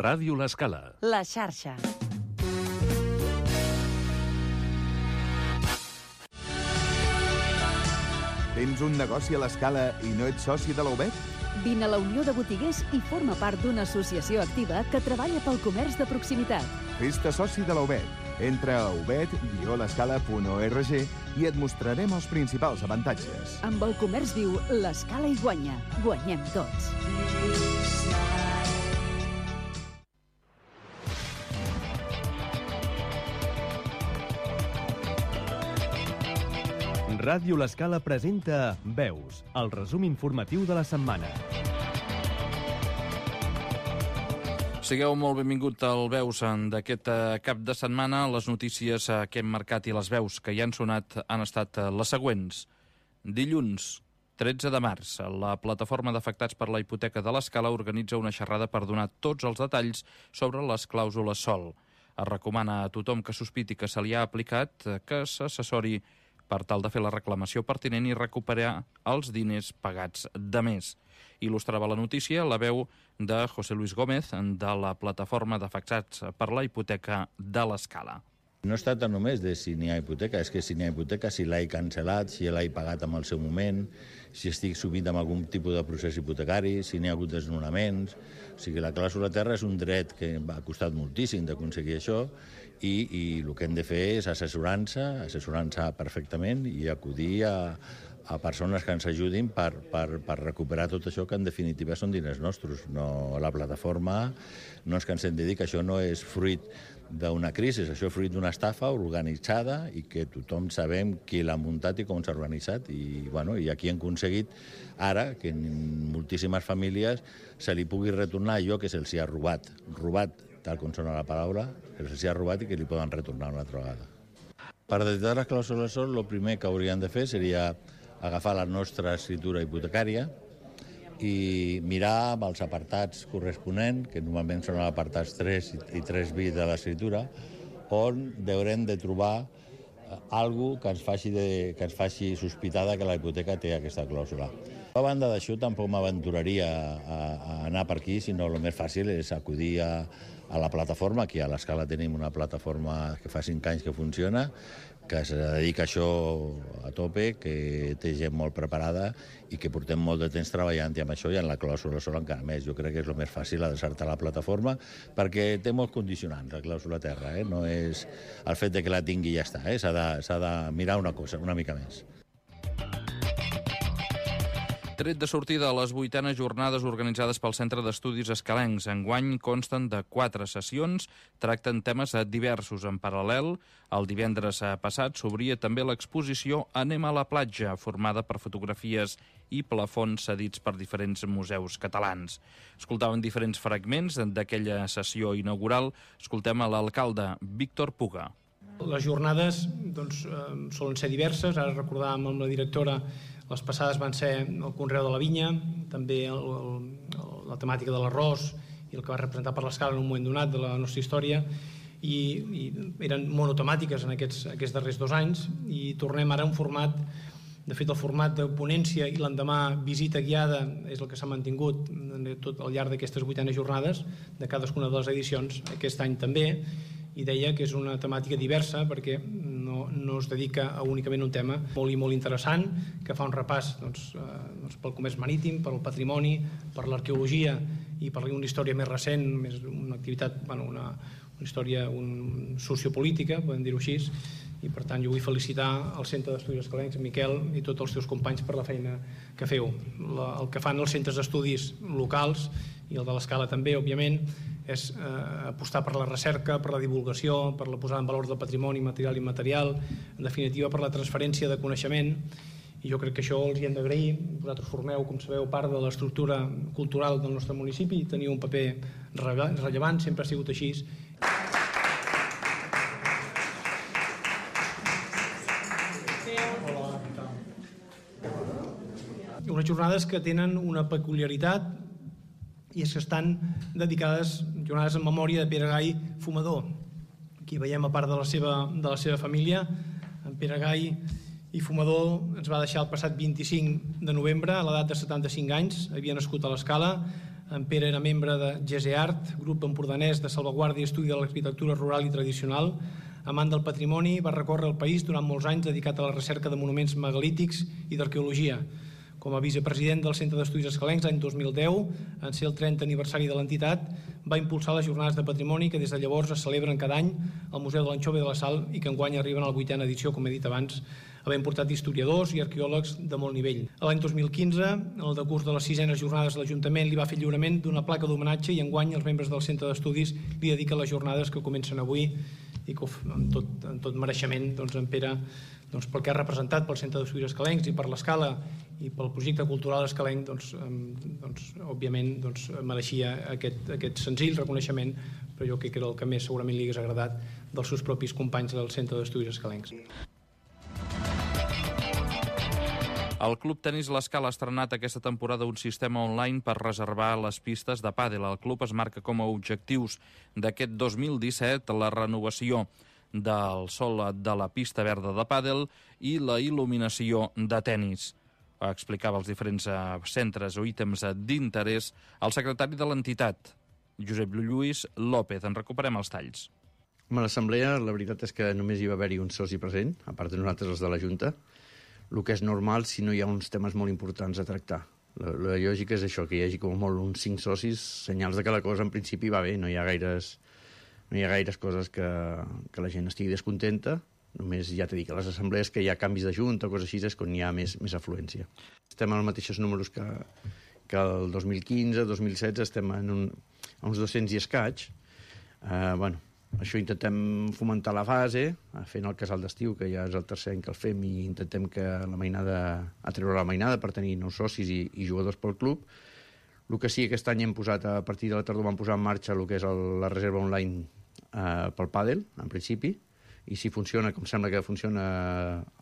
Ràdio L'Escala. La xarxa. Tens un negoci a l'Escala i no ets soci de la UBET? Vine a la Unió de Botiguers i forma part d'una associació activa que treballa pel comerç de proximitat. Fes-te soci de la UBET. Entra a ubet-l'escala.org i et mostrarem els principals avantatges. Amb el comerç viu, l'Escala hi guanya. Guanyem tots. Ràdio L'Escala presenta Veus, el resum informatiu de la setmana. Sigueu molt benvingut al Veus d'aquest cap de setmana. Les notícies que hem marcat i les veus que hi han sonat han estat les següents. Dilluns, 13 de març, la plataforma d'afectats per la hipoteca de l'Escala organitza una xerrada per donar tots els detalls sobre les clàusules SOL. Es recomana a tothom que sospiti que se li ha aplicat que s'assessori per tal de fer la reclamació pertinent i recuperar els diners pagats de més. Il·lustrava la notícia la veu de José Luis Gómez, de la plataforma d'afectats per la hipoteca de l'Escala. No es tracta només de si n'hi ha hipoteca, és que si n'hi ha hipoteca, si l'he cancel·lat, si l'he pagat en el seu moment, si estic subit amb algun tipus de procés hipotecari, si n'hi ha hagut desnonaments. O sigui, la clàusula terra és un dret que ha costat moltíssim d'aconseguir això i el que hem de fer és assessorar-nos perfectament i acudir a persones que ens ajudin per recuperar tot això que en definitiva són diners nostres. No, la plataforma no ens cansem de dir que això no és fruit d'una crisi, això és fruit d'una estafa organitzada i que tothom sabem qui l'ha muntat i com s'ha organitzat i aquí hem aconseguit ara que en moltíssimes famílies se li pugui retornar allò que se'ls ha robat, tal com sona la paraula, que se'ls ha robat i que li poden retornar una altra vegada. Per detectar les clàusules SOL, el primer que hauríem de fer seria agafar la nostra escritura hipotecària i mirar amb els apartats corresponents, que normalment són els apartats 3 i 3bis de l'escritura, on haurem de trobar alguna cosa que ens faci sospitar que la hipoteca té aquesta clàusula. A banda d'això, tampoc m'aventuraria a anar per aquí, sinó el més fàcil és acudir a la plataforma. Aquí a l'Escala tenim una plataforma que fa 5 anys que funciona, que es dedica a això a tope, que té gent molt preparada i que portem molt de temps treballant amb això i en la clàusula SOL encara més. Jo crec que és el més fàcil adreçar-te a la plataforma perquè té molts condicionants, la clàusula terra. No és el fet de que la tingui i ja està. S'ha de mirar una cosa, una mica més. Tret de sortida a les 8enes jornades organitzades pel Centre d'Estudis Escalencs. Enguany consten de 4 sessions, tracten temes diversos. En paral·lel, el divendres passat s'obria també l'exposició Anem a la platja, formada per fotografies i plafons cedits per diferents museus catalans. Escoltaven diferents fragments d'aquella sessió inaugural. Escoltem a l'alcalde Víctor Puga. Les jornades solen ser diverses. Ara recordàvem amb la directora, les passades van ser el conreu de la vinya, també la temàtica de l'arròs i el que va representar per l'Escala en un moment donat de la nostra història, i eren monotemàtiques en aquests darrers 2 anys, i tornem ara a un format. De fet, el format de ponència i l'endemà visita guiada és el que s'ha mantingut tot al llarg d'aquestes 8enes jornades de cadascuna de les edicions, aquest any també, i deia que és una temàtica diversa perquè no es dedica a únicament un tema molt i molt interessant, que fa un repàs pel comerç marítim, per el patrimoni, per l'arqueologia i per una història més recent, una activitat, una història sociopolítica, podem dir-ho així, i per tant jo vull felicitar el Centre d'Estudis Escalencs, Miquel, i tots els teus companys per la feina que feu. El que fan els centres d'estudis locals i el de l'Escala també, òbviament, és apostar per la recerca, per la divulgació, per la posada en valor del patrimoni material i immaterial, en definitiva per la transferència de coneixement, i jo crec que això els hi hem d'agrair. Vosaltres formeu, com sabeu, part de l'estructura cultural del nostre municipi i teniu un paper rellevant, sempre ha sigut així. Unes jornades que tenen una peculiaritat i és que estan dedicades jornades en memòria de Pere Gai fumador. Aquí veiem a part de la seva família. En Pere Gai i fumador ens va deixar el passat 25 de novembre a l'edat de 75 anys. Havia nascut a l'Escala, En Pere era membre de GESEART, grup empordanès de salvaguàrdia i estudi de l'arquitectura rural i tradicional. Amant del patrimoni, va recórrer el país durant molts anys dedicat a la recerca de monuments megalítics i d'arqueologia. Com a vicepresident del Centre d'Estudis Escalencs l'any 2010, en ser el 30 aniversari de l'entitat, va impulsar les jornades de patrimoni que des de llavors es celebren cada any al Museu de l'Anxova i de la Sal i que enguany arriben a la 8a edició, com he dit abans, havent portat historiadors i arqueòlegs de molt nivell. L'any 2015, el decurs de les 6enes jornades de l'Ajuntament li va fer lliurament d'una placa d'homenatge i enguany els membres del Centre d'Estudis li dediquen les jornades que comencen avui i que amb tot mereixement en Pere, pel que ha representat pel Centre d'Estudis Escalencs i per l'Escala i pel projecte cultural escalenc, òbviament mereixia aquest senzill reconeixement, però jo crec que era el que més segurament li hagués agradat dels seus propis companys del Centre d'Estudis Escalencs. El Club Tenis l'Escala ha estrenat aquesta temporada un sistema online per reservar les pistes de pàdel. El club es marca com a objectius d'aquest 2017 la renovació del sòl de la pista verda de pàdel i la il·luminació de tenis. Explicava els diferents centres o ítems d'interès el secretari de l'entitat, Josep Lluís López. En recuperem els talls. A l'assemblea la veritat és que només hi va haver-hi un soci present, a part de nosaltres els de la Junta, el que és normal si no hi ha uns temes molt importants a tractar. La lògica és això, que hi hagi com molt uns 5 socis, senyals de que la cosa en principi va bé, no hi ha gaires coses que la gent estigui descontenta, només ja t'he dit que a les assemblees que hi ha canvis de junta o coses així és quan hi ha més afluència. Estem als mateixos números que el 2015, 2016, estem a uns 200 i escaig. Això intentem fomentar la fase, fent el casal d'estiu, que ja és el tercer any que el fem, i intentem que atreure la mainada per tenir nous socis i jugadors pel club. El que sí, aquest any hem posat, a partir de la tardor vam posar en marxa el que és la reserva online pel pàdel, en principi, i si funciona, com sembla que funciona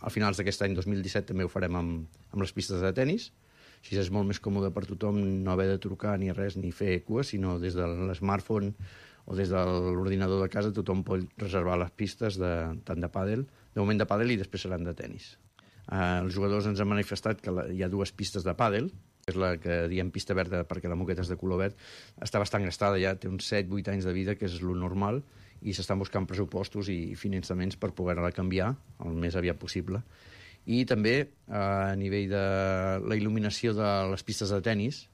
a finals d'aquest any 2017, també ho farem amb les pistes de tenis. Així és molt més còmode per tothom no haver de trucar ni res ni fer cua, sinó des de l'smartphone o des de l'ordinador de casa tothom pot reservar les pistes tant de pàdel, de moment de pàdel i després seran de tenis. Els jugadors ens han manifestat que hi ha 2 pistes de pàdel, que és la que diem pista verda perquè la moqueta és de color verd, està bastant gastada ja, té uns 7-8 anys de vida, que és lo normal, i s'estan buscant pressupostos i finançaments per poder-la canviar el més aviat possible. I també a nivell de la il·luminació de les pistes de tenis,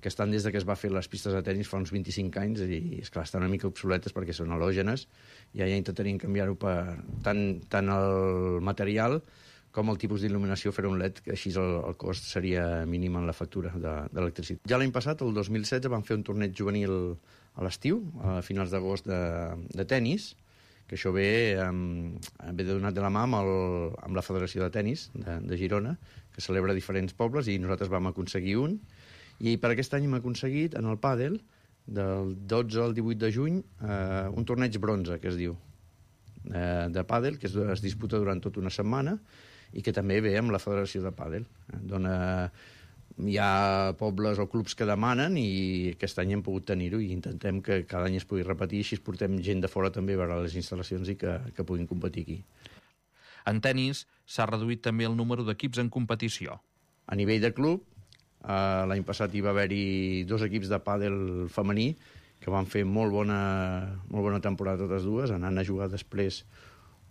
que estan des que es va fer les pistes de tenis fa uns 25 anys i, esclar, estan una mica obsoletes perquè són halògenes. Ja intentaríem canviar-ho per tant el material com el tipus d'il·luminació, fer un LED, que així el cost seria mínim en la factura d'electricitat. Ja l'any passat, el 2016, vam fer un torneig juvenil a l'estiu, a finals d'agost, de tenis, que això ve donat de la mà amb la Federació de Tenis de Girona, que celebra diferents pobles, i nosaltres vam aconseguir un. I per aquest any hem aconseguit, en el pàdel, del 12 al 18 de juny, un torneig bronze, que es diu, de pàdel, que es disputa durant tota una setmana i que també ve amb la Federació de Pàdel. Hi ha pobles o clubs que demanen i aquest any hem pogut tenir-ho i intentem que cada any es pugui repetir, així portem gent de fora també a veure les instal·lacions i que puguin competir aquí. En tenis s'ha reduït també el número d'equips en competició. A nivell de club, l'any passat hi va haver-hi 2 equips de pàdel femení que van fer molt bona temporada totes dues, anant a jugar després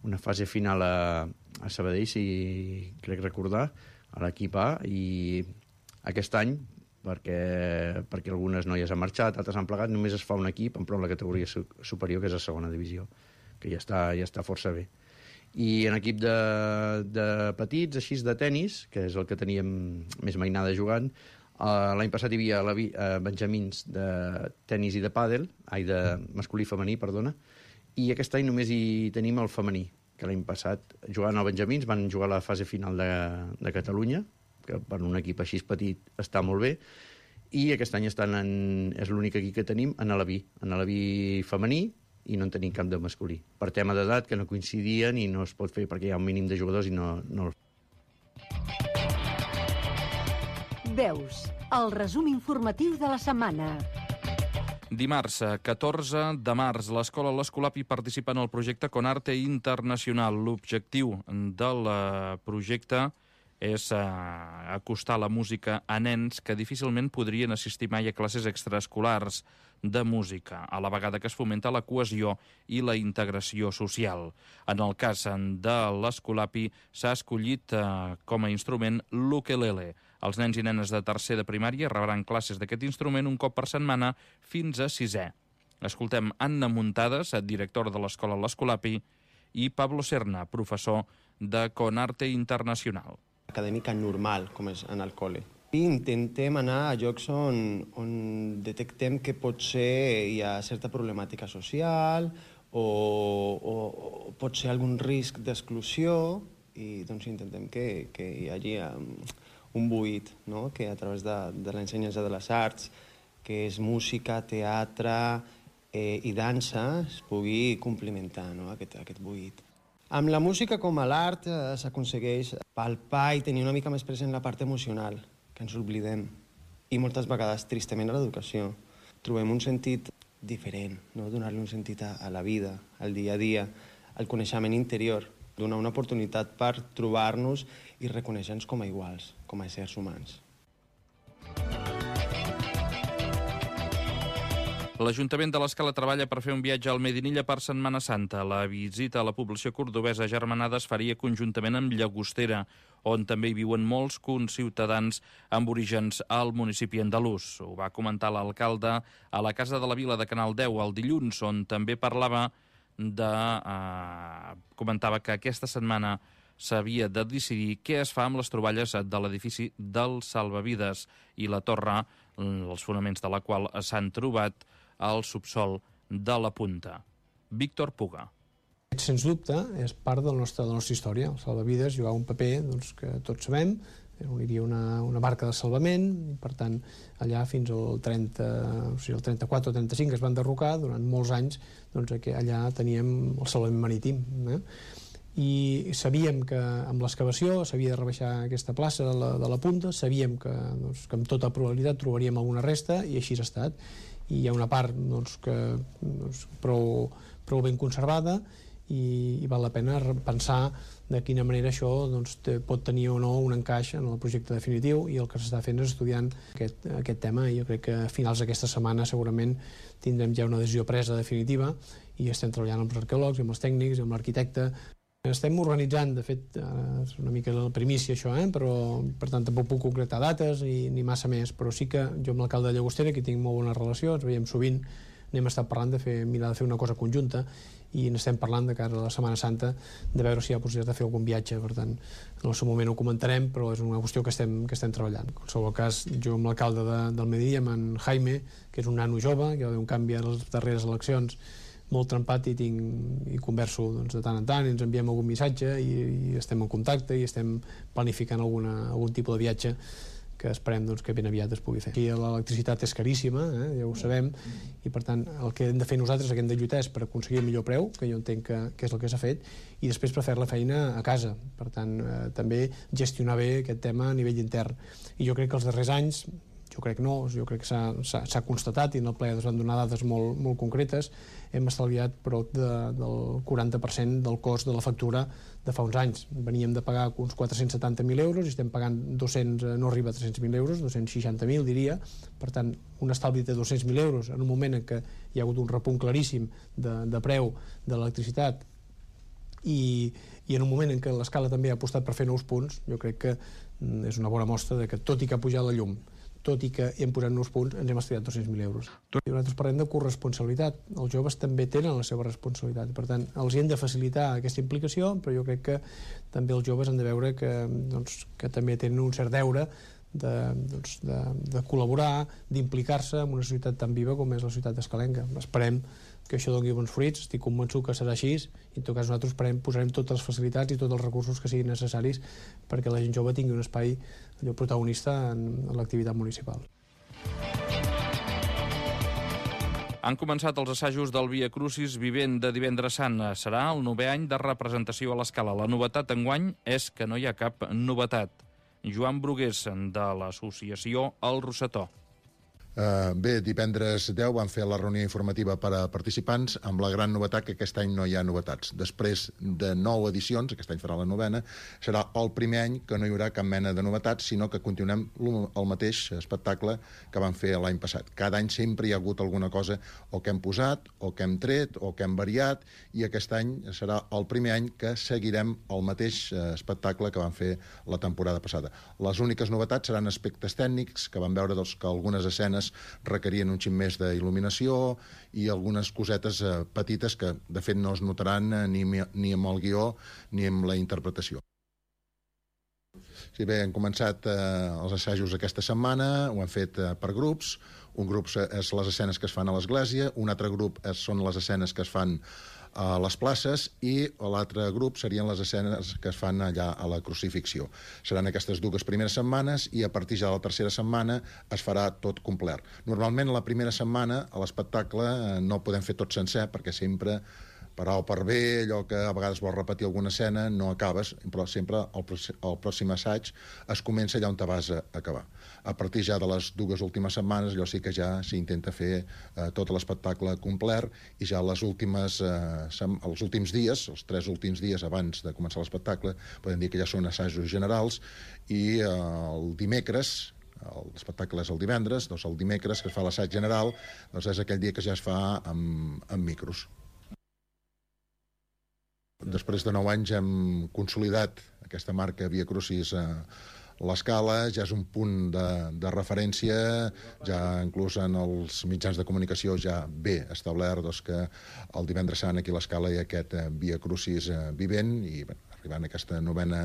una fase final a Sabadell, si crec recordar, a l'equip A, i aquest any, perquè algunes noies han marxat, altres han plegat, només es fa un equip, però en la categoria superior, que és la segona divisió, que ja està força bé. I en equip de petits, així de tenis, que és el que teníem més mainada jugant, l'any passat hi havia benjamins de tenis i de pàdel, de masculí i femení, perdona, i aquest any només hi tenim el femení, que l'any passat, jugant al benjamins, van jugar a la fase final de Catalunya, que per un equip així petit està molt bé, i aquest any és l'únic equip que tenim en l'Alaví femení, i no en tenim cap de masculí. Per tema d'edat, que no coincidien i no es pot fer perquè hi ha un mínim de jugadors i no. Veus, el resum informatiu de la setmana. Dimarts, 14 de març, l'escola l'Escolapi participa en el projecte Conarte Internacional. L'objectiu del projecte és acostar la música a nens que difícilment podrien assistir mai a classes extraescolars de música, a la vegada que es fomenta la cohesió i la integració social. En el cas de l'Escolapi s'ha escollit com a instrument l'ukelele. Els nens i nenes de tercer de primària rebran classes d'aquest instrument un cop per setmana fins a 6è. Escoltem Anna Muntades, directora de l'escola L'Escolapi, i Pablo Serna, professor de Conarte Internacional. Acadèmica normal, com és en el col·le. I intentem anar a llocs on detectem que potser hi ha certa problemàtica social o pot ser algun risc d'exclusió i doncs intentem que hi hagi un buit, no? Que a través de l'ensenyança de les arts, que és música, teatre i dansa, es pugui complementar, no? aquest buit. Amb la música com a l'art s'aconsegueix palpar i tenir una mica més present la part emocional, que ens oblidem. I moltes vegades, tristament, a l'educació. Trobem un sentit diferent, no? Donar-li un sentit a la vida, al dia a dia, al coneixement interior, donar una oportunitat per trobar-nos i reconèixer-nos com a iguals, com a éssers humans. L'Ajuntament de l'Escala treballa per fer un viatge al Medinilla per Setmana Santa. La visita a la població cordobesa agermanada es faria conjuntament amb Llagostera, on també hi viuen molts conciutadans amb orígens al municipi andalús. Ho va comentar l'alcalde a la Casa de la Vila de Canal 10 el dilluns, on també comentava que aquesta setmana s'havia de decidir què es fa amb les troballes de l'edifici del Salvavides i la torre, els fonaments de la qual s'han trobat al subsol de la Punta. Víctor Puga. Sens dubte, és part de la nostra història. El salvavides jugava un paper que tots sabem, on hi havia una barca de salvament, i per tant, allà fins al 34 o 35 es van derrocar, durant molts anys allà teníem el salvament marítim. I sabíem que amb l'excavació s'havia de rebaixar aquesta plaça de la Punta, sabíem que amb tota probabilitat trobaríem alguna resta, i així ha estat. I hi ha una part prou ben conservada, i val la pena pensar de quina manera això pot tenir o no un encaix en el projecte definitiu, i el que s'està fent és estudiant aquest tema, i jo crec que a finals d'aquesta setmana segurament tindrem ja una decisió presa definitiva, i estem treballant amb els arqueòlegs, amb els tècnics, amb l'arquitecte. Estem organitzant, de fet, és una mica la primícia això, però per tant tampoc puc concretar dates ni massa més, però sí que jo amb l'alcalde de Llagostera, que tinc molt bona relació, ens veiem sovint, n'hem estat parlant de mirar de fer una cosa conjunta, i n'estem parlant de cara a la Setmana Santa de veure si hi ha possibilitat de fer algun viatge. Per tant, en el seu moment ho comentarem, però és una qüestió que estem treballant. En qualsevol cas, jo amb l'alcalde del Medellí, amb en Jaime, que és un nano jove, que va haver un canvi a les darreres eleccions, molt trempat, i converso de tant en tant, i ens enviem algun missatge, i estem en contacte, i estem planificant algun tipus de viatge que esperem que ben aviat es pugui fer. Aquí l'electricitat és caríssima, ja ho sabem, i per tant el que hem de fer nosaltres, el que hem de lluitar, és per aconseguir el millor preu, que jo entenc que és el que s'ha fet, i després per fer la feina a casa. Per tant, també gestionar bé aquest tema a nivell intern. I jo crec que els darrers anys, jo crec que s'ha constatat, i en el ple es van donar dades molt concretes, hem estalviat prop del 40% del cost de la factura de fa uns anys. Veníem de pagar uns 470.000 euros i estem pagant 200, no arriba a 300.000 euros, 260.000 diria. Per tant, un estalvi de 200.000 euros en un moment en què hi ha hagut un repunt claríssim de preu de l'electricitat, i en un moment en què l'Escala també ha apostat per fer nous punts, jo crec que és una bona mostra de que, tot i que ha pujat la llum, tot i que hem posat nous punts, ens hem estalviat 200.000 euros. I nosaltres parlem de corresponsabilitat. Els joves també tenen la seva responsabilitat. Per tant, els hem de facilitar aquesta implicació, però jo crec que també els joves han de veure que també tenen un cert deure de col·laborar, d'implicar-se en una societat tan viva com és la societat escalenca. Esperem que això doni bons fruits, estic convençut que serà així, i en tot cas nosaltres posarem totes les facilitats i tots els recursos que siguin necessaris perquè la gent jove tingui un espai protagonista en l'activitat municipal. Han començat els assajos del Via Crucis Vivent de Divendres Sant. Serà el 9è any de representació a l'Escala. La novetat enguany és que no hi ha cap novetat. Joan Brugués, de l'associació El Rosetó. Bé, divendres 10 van fer la reunió informativa per a participants amb la gran novetat que aquest any no hi ha novetats. Després de 9 edicions, aquest any farà la 9ª, serà el primer any que no hi haurà cap mena de novetats, sinó que continuem el mateix espectacle que vam fer l'any passat. Cada any sempre hi ha hagut alguna cosa o que hem posat, o que hem tret, o que hem variat, i aquest any serà el primer any que seguirem el mateix espectacle que vam fer la temporada passada. Les úniques novetats seran aspectes tècnics, que vam veure que algunes escenes requerien un xic més d'il·luminació i algunes cosetes petites que, de fet, no es notaran ni amb el guió ni amb la interpretació. Sí, bé, hem començat els assajos aquesta setmana, ho hem fet per grups. Un grup és les escenes que es fan a l'església, un altre grup són les escenes que es fan a les places i l'altre grup serien les escenes que es fan allà a la crucifixió. Seran aquestes 2 primeres setmanes i a partir ja de la tercera setmana es farà tot complet. Normalment la primera setmana a l'espectacle no podem fer tot sencer perquè sempre per A o per B, allò que a vegades vols repetir alguna escena, no acabes, però sempre el pròxim assaig es comença allà on te vas a acabar. A partir ja de les 2 últimes setmanes, allò sí que ja s'intenta fer tot l'espectacle complet i ja els últims dies, els 3 últims dies abans de començar l'espectacle, podem dir que ja són assajos generals i el dimecres, l'espectacle és el divendres, doncs el dimecres que es fa l'assaig general, doncs és aquell dia que ja es fa amb micros. Després de 9 anys hem consolidat aquesta marca Via Crucis a l'Escala, ja és un punt de referència, ja inclús en els mitjans de comunicació ja ve establert que el divendres sant aquí a l'Escala hi ha aquest Via Crucis vivent i arribant a aquesta 9ª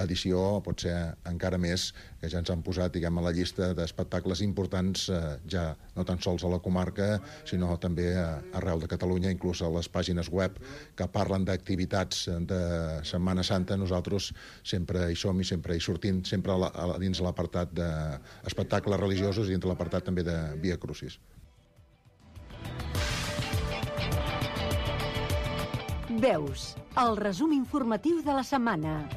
edició pot ser encara més, que ja ens han posat a la llista d'espectacles importants ja no tan sols a la comarca sinó també arreu de Catalunya, inclús a les pàgines web que parlen d'activitats de Setmana Santa. Nosaltres sempre hi som i sempre hi sortim, sempre dins l'apartat d'espectacles religiosos i dins l'apartat també de Via Crucis. Veus, el resum informatiu de la setmana.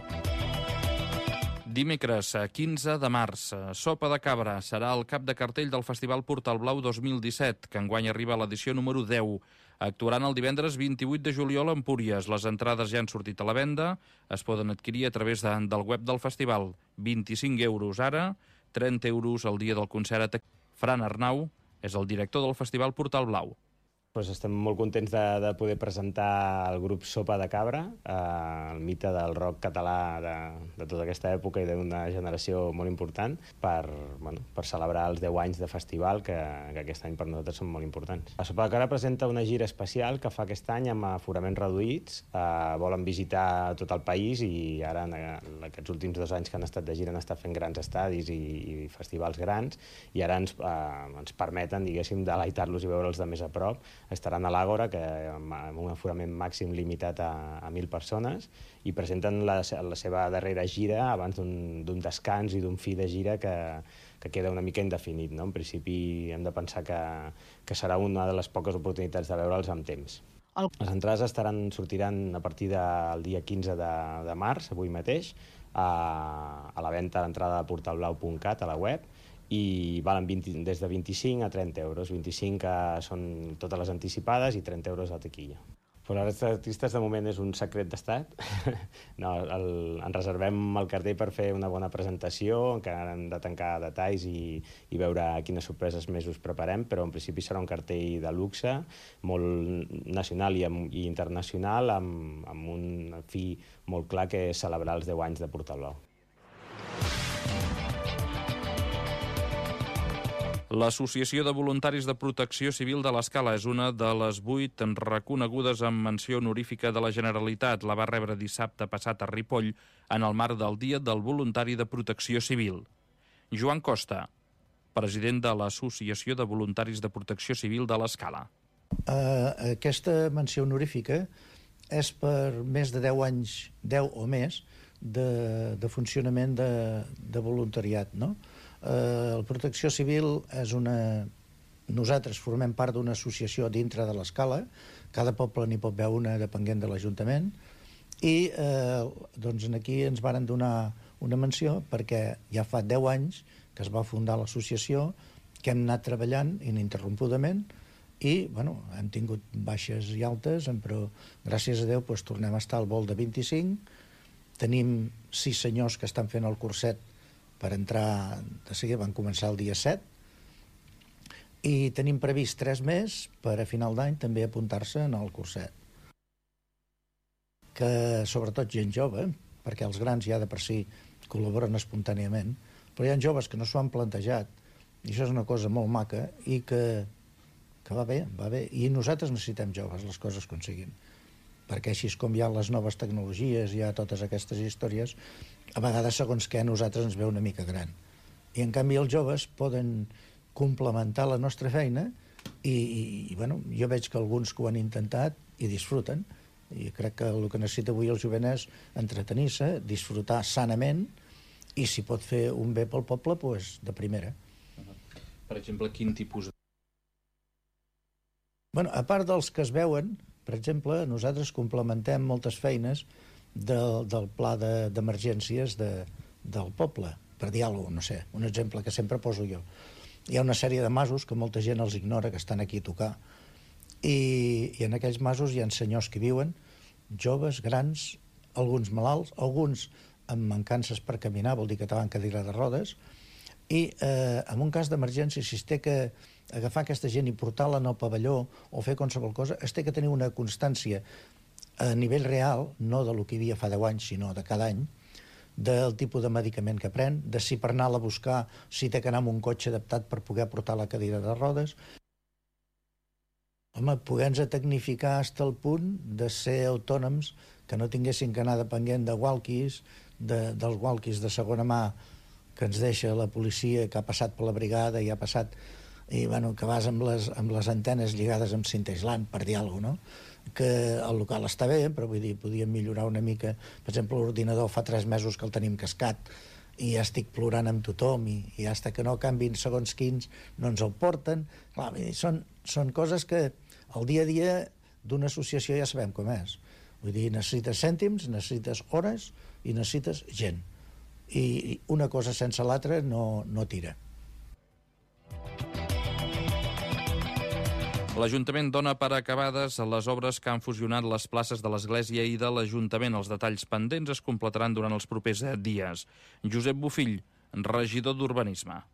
Dimecres, 15 de març, Sopa de Cabra serà el cap de cartell del Festival Portal Blau 2017, que enguany arriba a l'edició número 10. Actuaran el divendres 28 de juliol a Empúries. Les entrades ja han sortit a la venda, es poden adquirir a través del web del festival. 25 euros ara, 30 euros el dia del concert. Fran Arnau és el director del Festival Portal Blau. Estem molt contents de poder presentar el grup Sopa de Cabra, el mite del rock català de tota aquesta època i d'una generació molt important, per celebrar els 10 anys de festival, que aquest any per nosaltres són molt importants. La Sopa de Cabra presenta una gira especial que fa aquest any amb aforaments reduïts. Volen visitar tot el país i ara, en aquests últims 2 anys que han estat de gira, han estat fent grans estadis i festivals grans, i ara ens permeten, diguéssim, deleitar-los i veure'ls de més a prop. Estaran a l'Àgora, amb un aforament màxim limitat a 1.000 persones, i presenten la seva darrera gira abans d'un descans i d'un fi de gira que queda una mica indefinit. En principi hem de pensar que serà una de les poques oportunitats de veure'ls amb temps. Les entrades sortiran a partir del dia 15 de març, avui mateix, a la venda d'entrada de portalblau.cat, a la web, i valen des de 25 a 30 euros. 25 que són totes les anticipades i 30 euros a taquilla. Per als artistes de moment és un secret d'estat. Ens reservem el cartell per fer una bona presentació, encara hem de tancar detalls i veure quines sorpreses més us preparem, però en principi serà un cartell de luxe, molt nacional i internacional, amb un fi molt clar que és celebrar els 10 anys de Portal Blau. L'Associació de Voluntaris de Protecció Civil de l'Escala és una de les 8 reconegudes amb menció honorífica de la Generalitat. La va rebre dissabte passat a Ripoll en el marc del Dia del Voluntari de Protecció Civil. Joan Costa, president de l'Associació de Voluntaris de Protecció Civil de l'Escala. Aquesta menció honorífica és per més de 10 anys, 10 o més, de funcionament de voluntariat, no? La Protecció Civil és nosaltres formem part d'una associació dintre de l'Escala, cada poble n'hi pot veure una depenent de l'Ajuntament, i aquí ens varen donar una menció perquè ja fa 10 anys que es va fundar l'associació, que hem anat treballant ininterrompudament i bueno, hem tingut baixes i altes, però gràcies a Déu tornem a estar al vol de 25. Tenim 6 senyors que estan fent el curset per entrar de seguida, van començar el dia 7, i tenim previst 3 més per a final d'any també apuntar-se en el curset. Que sobretot gent jove, perquè els grans ja de per si col·laboren espontàniament, però hi ha joves que no s'ho han plantejat, i això és una cosa molt maca, i que va bé, i nosaltres necessitem joves, les coses com siguin, perquè així com hi ha les noves tecnologies, hi ha totes aquestes històries, a vegades segons què a nosaltres ens veu una mica gran. I en canvi els joves poden complementar la nostra feina i bueno, jo veig que alguns que ho han intentat i disfruten, i crec que el que necessita avui el jovent és entretenir-se, disfrutar sanament, i si pot fer un bé pel poble, doncs de primera. Per exemple, quin tipus de... Bueno, a part dels que es veuen, per exemple, nosaltres complementem moltes feines del pla d'emergències del poble, per dir alguna cosa, no sé, un exemple que sempre poso jo. Hi ha una sèrie de masos que molta gent els ignora, que estan aquí a tocar, i en aquells masos hi ha senyors que viuen, joves, grans, alguns malalts, alguns amb mancances per caminar, vol dir que van cadira de rodes, i en un cas d'emergència, si es té que agafar aquesta gent i portar-la al pavelló o fer qualsevol cosa, es té que tenir una constància a nivell real, no de lo que hi havia fa 10 anys, sinó de cada any, del tipus de medicament que pren, de si per anar-la a buscar si té que anar amb un cotxe adaptat per poder portar la cadira de rodes. Home, poder-nos tecnificar fins al punt de ser autònoms, que no tinguessin que anar depenent de walkies, dels walkies de segona mà que ens deixa la policia, que ha passat per la brigada i ha passat, i bueno, que vas amb les antenes lligades amb cinta aislant, per dir alguna cosa, no? Que el local està bé, però vull dir, podíem millorar una mica. Per exemple, l'ordinador fa 3 mesos que el tenim cascat i ja estic plorant amb tothom i fins que no canvin segons quins no ens el porten. Clar, són coses que el dia a dia d'una associació ja sabem com és. Vull dir, necessites cèntims, necessites hores i necessites gent. I una cosa sense l'altra no tira. L'Ajuntament dona per acabades les obres que han fusionat les places de l'Església i de l'Ajuntament. Els detalls pendents es completaran durant els propers dies. Josep Bofill, regidor d'Urbanisme.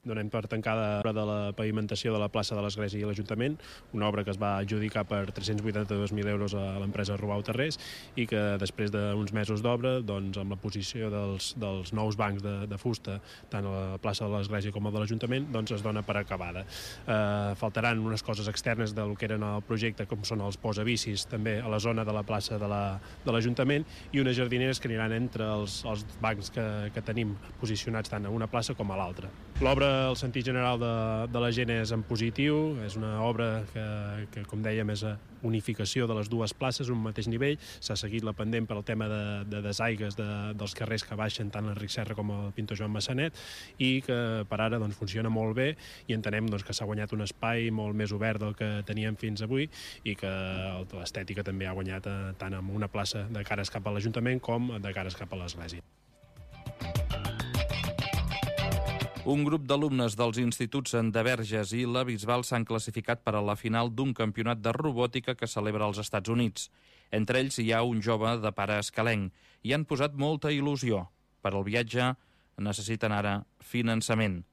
Donem per tancada l'obra de la pavimentació de la plaça de l'Església i l'Ajuntament, una obra que es va adjudicar per 382.000 euros a l'empresa Robau Terrés i que després d'uns mesos d'obra, doncs, amb la posició dels nous bancs de fusta, tant a la plaça de l'Església com a de l'Ajuntament, doncs es dona per acabada. Faltaran unes coses externes del que eren el projecte, com són els posabicis, també a la zona de la plaça de l'Ajuntament, i unes jardineres que aniran entre els bancs que tenim posicionats tant a una plaça com a l'altra. L'obra, el sentit general de la gent és en positiu, és una obra que com dèiem, és unificació de les dues places, un mateix nivell. S'ha seguit la pendent per al tema de desaigues dels carrers que baixen tant l'Enric Serra com el Pintor Joan Massanet, i que per ara doncs, funciona molt bé i entenem doncs, que s'ha guanyat un espai molt més obert del que teníem fins avui i que l'estètica també ha guanyat tant amb una plaça de cares cap a l'Ajuntament com de cares cap a l'Església. Un grup d'alumnes dels instituts de Verges i la Bisbal s'han classificat per a la final d'un campionat de robòtica que celebra als Estats Units. Entre ells hi ha un jove de pare escalenc i han posat molta il·lusió. Per al viatge necessiten ara finançament.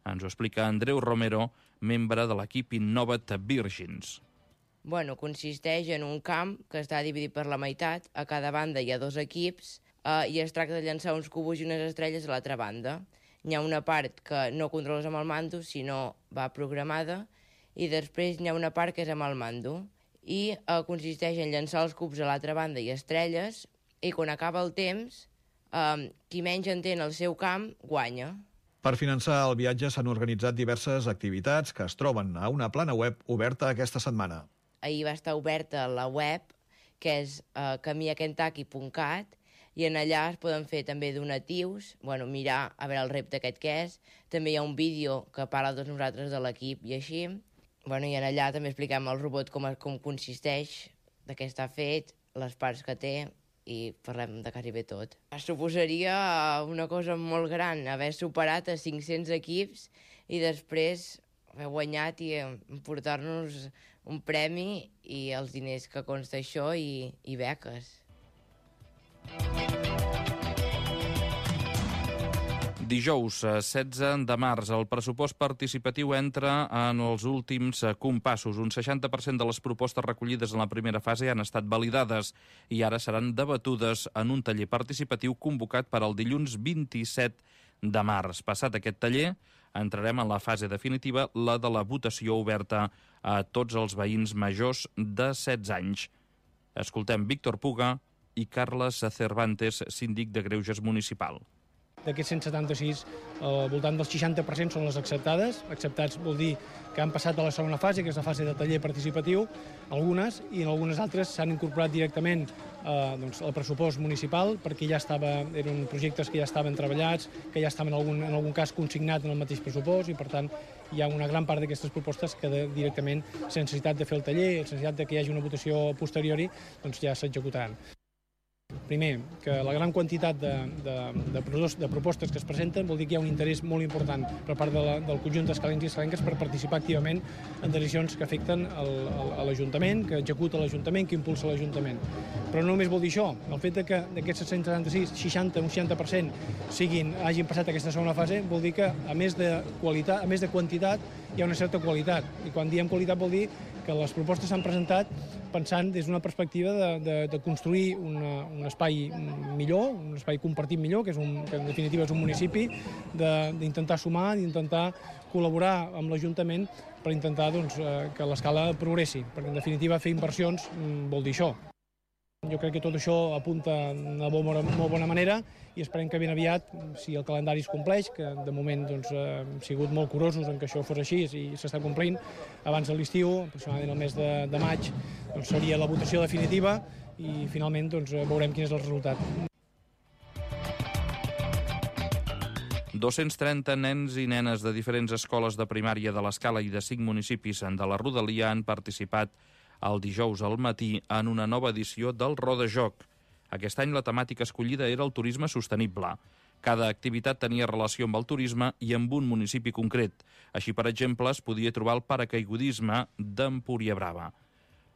Ens ho explica Andreu Romero, membre de l'equip Innovat Virgins. Bueno, consisteix en un camp que està dividit per la meitat. A cada banda hi ha 2 equips i es tracta de llançar uns cubos i unes estrelles a l'altra banda. Hi ha una part que no controles amb el mando, sinó va programada, i després hi ha una part que és amb el mando. I consisteix en llançar els cubs a l'altra banda i estrelles, i quan acaba el temps, qui menys entén el seu camp, guanya. Per finançar el viatge s'han organitzat diverses activitats que es troben a una plana web oberta aquesta setmana. Ahir va estar oberta la web, que és camiakentaki.cat, i en allà es poden fer també donatius, mirar a veure el repte aquest que és. També hi ha un vídeo que parla de nosaltres de l'equip i així. I en allà també expliquem el robot com consisteix, de què està fet, les parts que té, i parlem de quasi bé tot. Suposaria una cosa molt gran, haver superat a 500 equips i després haver guanyat i emportar-nos un premi i els diners que consta això i beques. Dijous 16 de març, el pressupost participatiu entra en els últims compassos. Un 60% de les propostes recollides en la primera fase han estat validades i ara seran debatudes en un taller participatiu convocat per al dilluns 27 de març. Passat aquest taller, entrarem en la fase definitiva, la de la votació oberta a tots els veïns majors de 16 anys. Escoltem Víctor Puga i Carles Cervantes, síndic de Greuges municipal. D'aquests 176, al voltant del 60% són les acceptades. Acceptats vol dir que han passat a la segona fase, que és la fase de taller participatiu, algunes, i en algunes altres s'han incorporat directament al pressupost municipal, perquè ja eren projectes que ja estaven treballats, que ja estaven en algun cas consignats en el mateix pressupost, i per tant hi ha una gran part d'aquestes propostes que directament, sense necessitat de fer el taller, sense necessitat que hi hagi una votació posteriori, doncs ja s'executaran. Primer, que la gran quantitat de propostes que es presenten vol dir que hi ha un interès molt important per part del conjunt d'escalencs i escalenques per participar activament en decisions que afecten l'Ajuntament, que executa l'Ajuntament, que impulsa l'Ajuntament. Però no només vol dir això, el fet que d'aquests 176, 60% hagin passat aquesta segona fase, vol dir que a més de quantitat hi ha una certa qualitat. I quan diem qualitat vol dir que les propostes s'han presentat pensant des d'una perspectiva de construir un espai millor, un espai compartit millor, que en definitiva és un municipi, d'intentar sumar, d'intentar col·laborar amb l'Ajuntament per intentar que l'escala progressi, perquè en definitiva fer inversions vol dir això. Jo crec que tot això apunta d'una molt bona manera i esperem que ben aviat, si el calendari es compleix, que de moment hem sigut molt curosos en que això fos així i s'està complint, abans de l'estiu, aproximadament el mes de maig, seria la votació definitiva i finalment veurem quin és el resultat. 230 nens i nenes de diferents escoles de primària de l'Escala i de 5 municipis de la Rodalia han participat el dijous al matí en una nova edició del Rodajoc. Aquest any la temàtica escollida era el turisme sostenible. Cada activitat tenia relació amb el turisme i amb un municipi concret. Així, per exemple, es podia trobar el paracaigudisme d'Empúria Brava.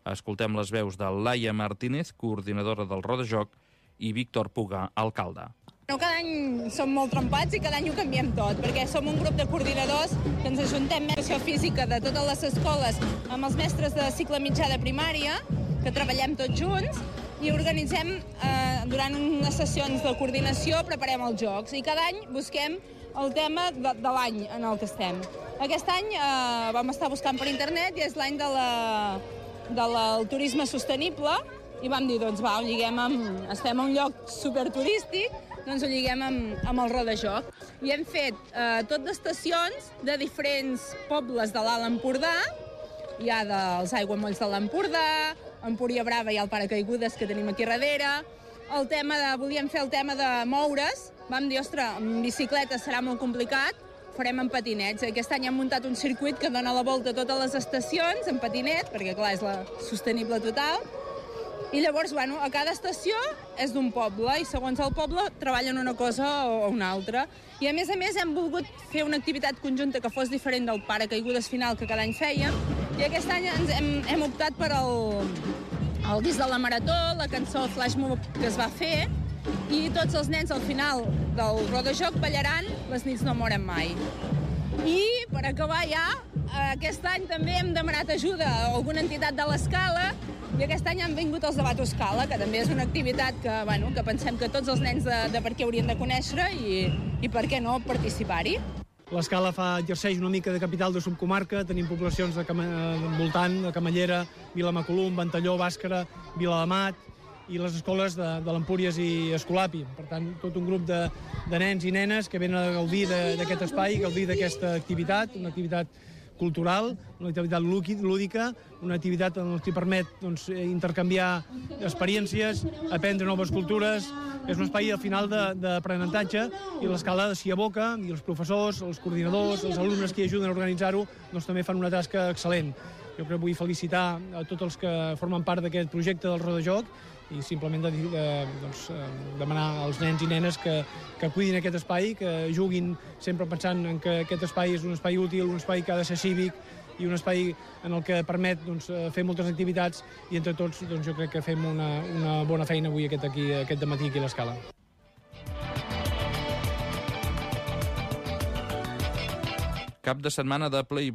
Escoltem les veus de Laia Martínez, coordinadora del Rodajoc, i Víctor Puga, alcalde. Cada any som molt trompats i cada any ho canviem tot, perquè som un grup de coordinadors que ens ajuntem educació física de totes les escoles amb els mestres de cicle mitjà de primària, que treballem tots junts, i organitzem durant unes sessions de coordinació, preparem els jocs, i cada any busquem el tema de l'any en el que estem. Aquest any vam estar buscant per internet i és l'any del turisme sostenible, i vam dir, doncs va, ho lliguem estem a un lloc superturístic, doncs ho lliguem amb el Rodajoc. I hem fet tot d'estacions de diferents pobles de l'Alt Empordà. Hi ha dels aiguamolls de l'Empordà, Empúria Brava hi ha el paracaigudes que tenim aquí darrere. Volíem fer el tema de moure's. Vam dir, ostres, amb bicicleta serà molt complicat, farem amb patinets. Aquest any hem muntat un circuit que dona la volta a totes les estacions en patinet, perquè clar, és la sostenible total. I llavors, a cada estació és d'un poble i segons el poble treballen una cosa o una altra. I a més hem volgut fer una activitat conjunta que fos diferent del paracaigudes final que cada any fèiem, i aquest any hem optat per el disc de la marató, la cançó Flash Mob que es va fer, i tots els nens al final del Rodajoc ballaran Les nits no moren mai. I per acabar ja, aquest any també hem demanat ajuda a alguna entitat de l'Escala, i aquest any han vingut els de Bato Escala, que també és una activitat que pensem que tots els nens de per què haurien de conèixer i per què no participar-hi. L'Escala exerceix una mica de capital de subcomarca, tenim poblacions voltant de Camallera, Vilamacolum, Ventalló, Bàscara, Viladamat, i les escoles de l'Empúries i Escolapi. Per tant, tot un grup de nens i nenes que venen a gaudir d'aquest espai, gaudir d'aquesta activitat, una activitat cultural, una activitat lúdica, una activitat en què permet intercanviar experiències, aprendre noves cultures. És un espai al final d'aprenentatge i l'Escala s'hi aboca, i els professors, els coordinadors, els alumnes que hi ajuden a organitzar-ho també fan una tasca excel·lent. Jo crec que vull felicitar a tots els que formen part d'aquest projecte del Rodajoc i simplement demanar als nens i nenes que cuidin aquest espai, que juguin sempre pensant en que aquest espai és un espai útil, un espai que ha de ser cívic i un espai en el que permet fer moltes activitats, i entre tots jo crec que fem una bona feina avui aquest dematí aquí a l'Escala. Cap de setmana de ple i